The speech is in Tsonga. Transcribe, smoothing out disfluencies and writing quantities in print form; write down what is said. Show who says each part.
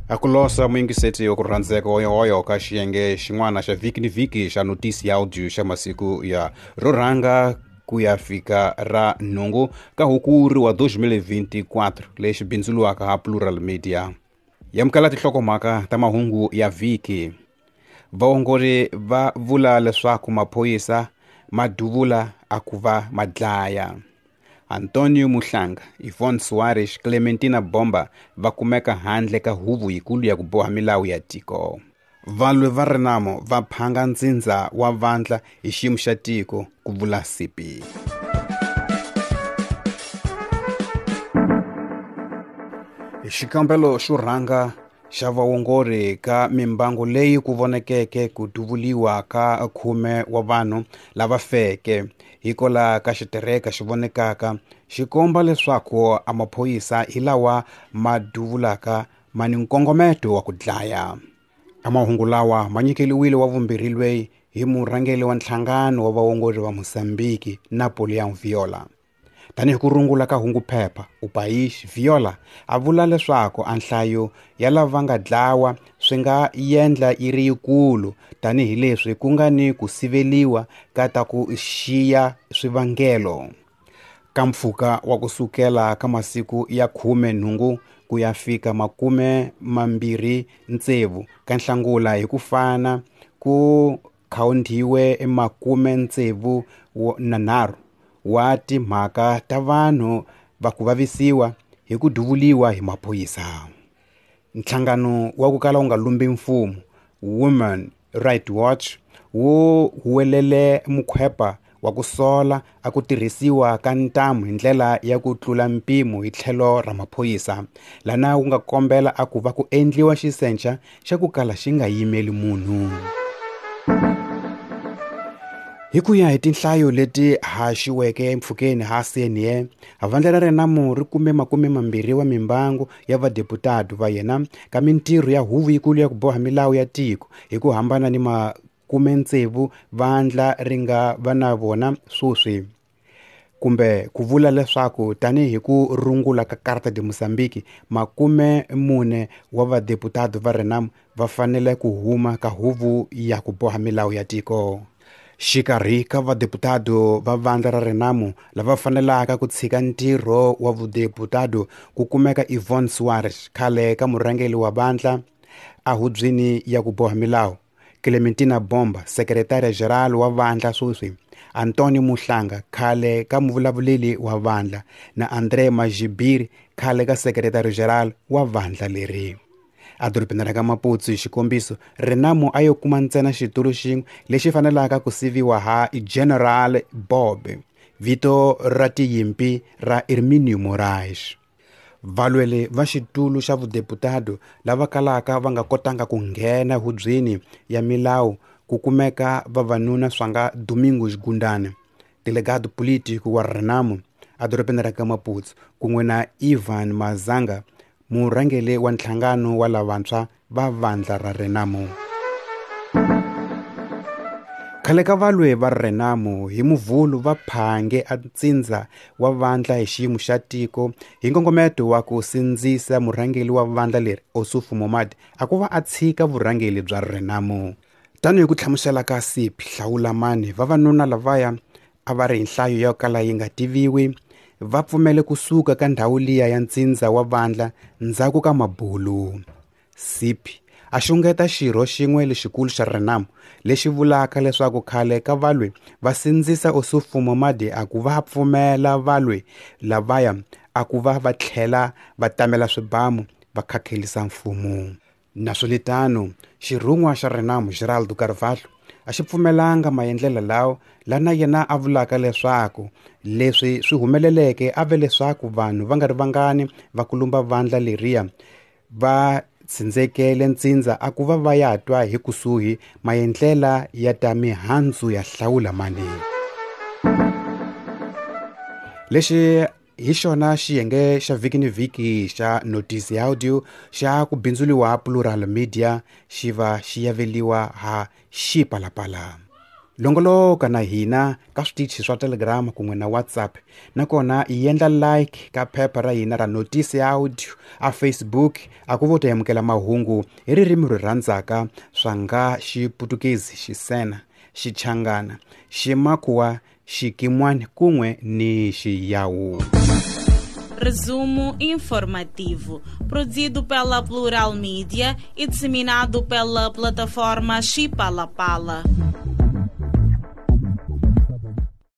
Speaker 1: A ku losa muyingiseti wa ku rhandzeka hoyohoyo ka xiyenge xin'wana xa vhiki ni vhiki xa notisi ya audio xa masiku ya ro rhanga ku ya fika ra nhungu ka hukuri wa 2024 lexi bindzuliwaka ha Plural Media. Yamukela tinhlokomhaka ta mahungu ya vhiki. Vaongori va vula leswaku maphorisa ma duvula a ku va ma dlaya. Antonio Muhlanga, Yvonne Suarez, Clementina Bomba va kumeka handle ka huvo yikulu ya ku boha milawu ya tiko. Valwi va Renamo va phanga ntsindza wa vandla hi xiyimo xa tiko, ku vula CP. Xikambelo xo rhanga xa vaongori ka mimbangu leyi ku vonekeke ku duvuliwa ka 10 wa vanhu lava feke hikwalaho ka xitereka xi vonekaka xi komba leswaku a maphorisa hi lawa ma duvulaka ma ni nkongometo wa ku dlaya. A mahungu lawa ma nyikeliwile wa vumbirhi lweyi hi murhangeri wa nhlangano wa vaongori va Mozambique Napoleon Viola. Tanihi ku rungula ka hunguphepha, O País Viola a vula leswaku a nhlayo ya lava nga dlawa swi nga endla yi ri yikulu tanihileswi ku nga ni ku siveliwa ka ta ku xiya swivangelo. Ka mpfhuka wa ku sukela ka masiku ya 18 ku ya fika 26 ka Nhlangula hi ku fana ku khawuntiwe 63 wa timhaka ta vanhu va ku vavisiwa hi ku duvuliwa hi maphorisa. Nhlangano wa ku kala wu nga lumbi mfumo Women Right Watch wu huwelele mukhwepa wa ku sola a ku tirhisiwa ka ntamu hi ndlela ya ku tlula mpimo hi tlhelo ra maphorisa, lana wu nga kombela a ku va ku endliwa xisenca xa ku kala xi nga yimeli munhu. Hi ku ya hi tinhlayo leti haxiweke empfhukeni ha CNA, vandla ra Renamo ri kume 20 wa mimbangu ya vadeputado va yena ka mintirho ya huvo yikulu ya ku boha milawu ya tiko hi ku hambana ni 60 vandla ri nga va na vona sweswi. Kumbe ku vula leswaku tanihi ku rungula ka Carta de Mozambique, 40 wa vadeputado va Renamo va fanele ku huma ka huvo ya ku boha milawu ya tiko. Xikarhi ka vadeputado va vandla ra Renamo lava fanelaka ku tshika ntirho wa vudeputado ku kumeka Yvonne Suarez, khale ka murhangeri wa vandla a hubyeni ya ku boha milawu, Clementina Bomba, sekretariya general wa vandla sweswi, Antonio Muhlanga, khale ka muvulavuleri wa vandla, na André Majibiri, khale ka sekretariya general wa vandla leri. Edorobeni ra ka Maputo hi xikombiso, Renamo a yo kuma ntsena xitulu xin'we lexi fanelaka ku siviwa ha General Bob, vito ra tiyimpi ra Herminio Moraes. Valweli va xitulu xa vudeputado lava kalaka va nga kotanga ku nghena hubyeni ya milawu ku kumeka vavanuna swa nga Domingos Gundane, delegado político wa Renamo edorobeni ra ka Maputo, kun'we na Ivan Mazanga, murhangeri wa nhlangano wa lavantshwa va vandla ra Renamo. Khale ka valwi va Renamo hi Muvhulu va phange a ntsindza wa vandla hi xiyimo xa tiko hi nkongometo wa ku sindzisa murhangeri wa vandla leri Ossufo Momad a ku va a tshika vurhangeri bya Renamo. Tanihi ku hlamusela ka CP Hlawulamani, vavanuna lavaya a va ri hi nhlayo yo kala yi nga tiviwi va pfumele kusuka ka ndhawu liya ya ntsindza wa vandla ndzhaku ka mabulu. CP a xungeta xirho xin'we lexikulu xa Renamo lexi vulaka leswaku khale ka valwi va sindzisa Ossufo Momad a ku va pfumela valwi lavaya a ku va va tlhela va tamela swibamu va khakhelisa mfumo. Naswolitano, xirhun'wa xa Renamo Geraldo Carvalho a xi pfumelanga maendlelo lawa, lana yena a vulaka leswaku leswi swi humeleleke a ve leswaku vanhu va nga ri vangani va kulumba vandla leriya va tsindzekele ntsindza a ku va va ya twa hi kusuhi maendlela ya ta mihandzu ya hlawula mani. Lexi hi xona xiyenge xa vhiki ni vhiki xa Notice ya Audio xa ku bindzuliwa Plural Media xi va xi yaveliwa ha Xipalapala. Longoloka na hina ka switichi swa Telegram kun'we na WhatsApp, nakona i endla like ka phepha ra hina ra Notice ya Audio a Facebook, a ku vo ta amukela mahungu hi ririmi ri rhandzaka swa nga Xiputukezi, Xisena, Xichangana, Ximakhuwa, Xikimwani kun'we ni Xiyawu.
Speaker 2: Resumo informativo, produzido pela Plural Mídia e disseminado pela plataforma Chipalapala.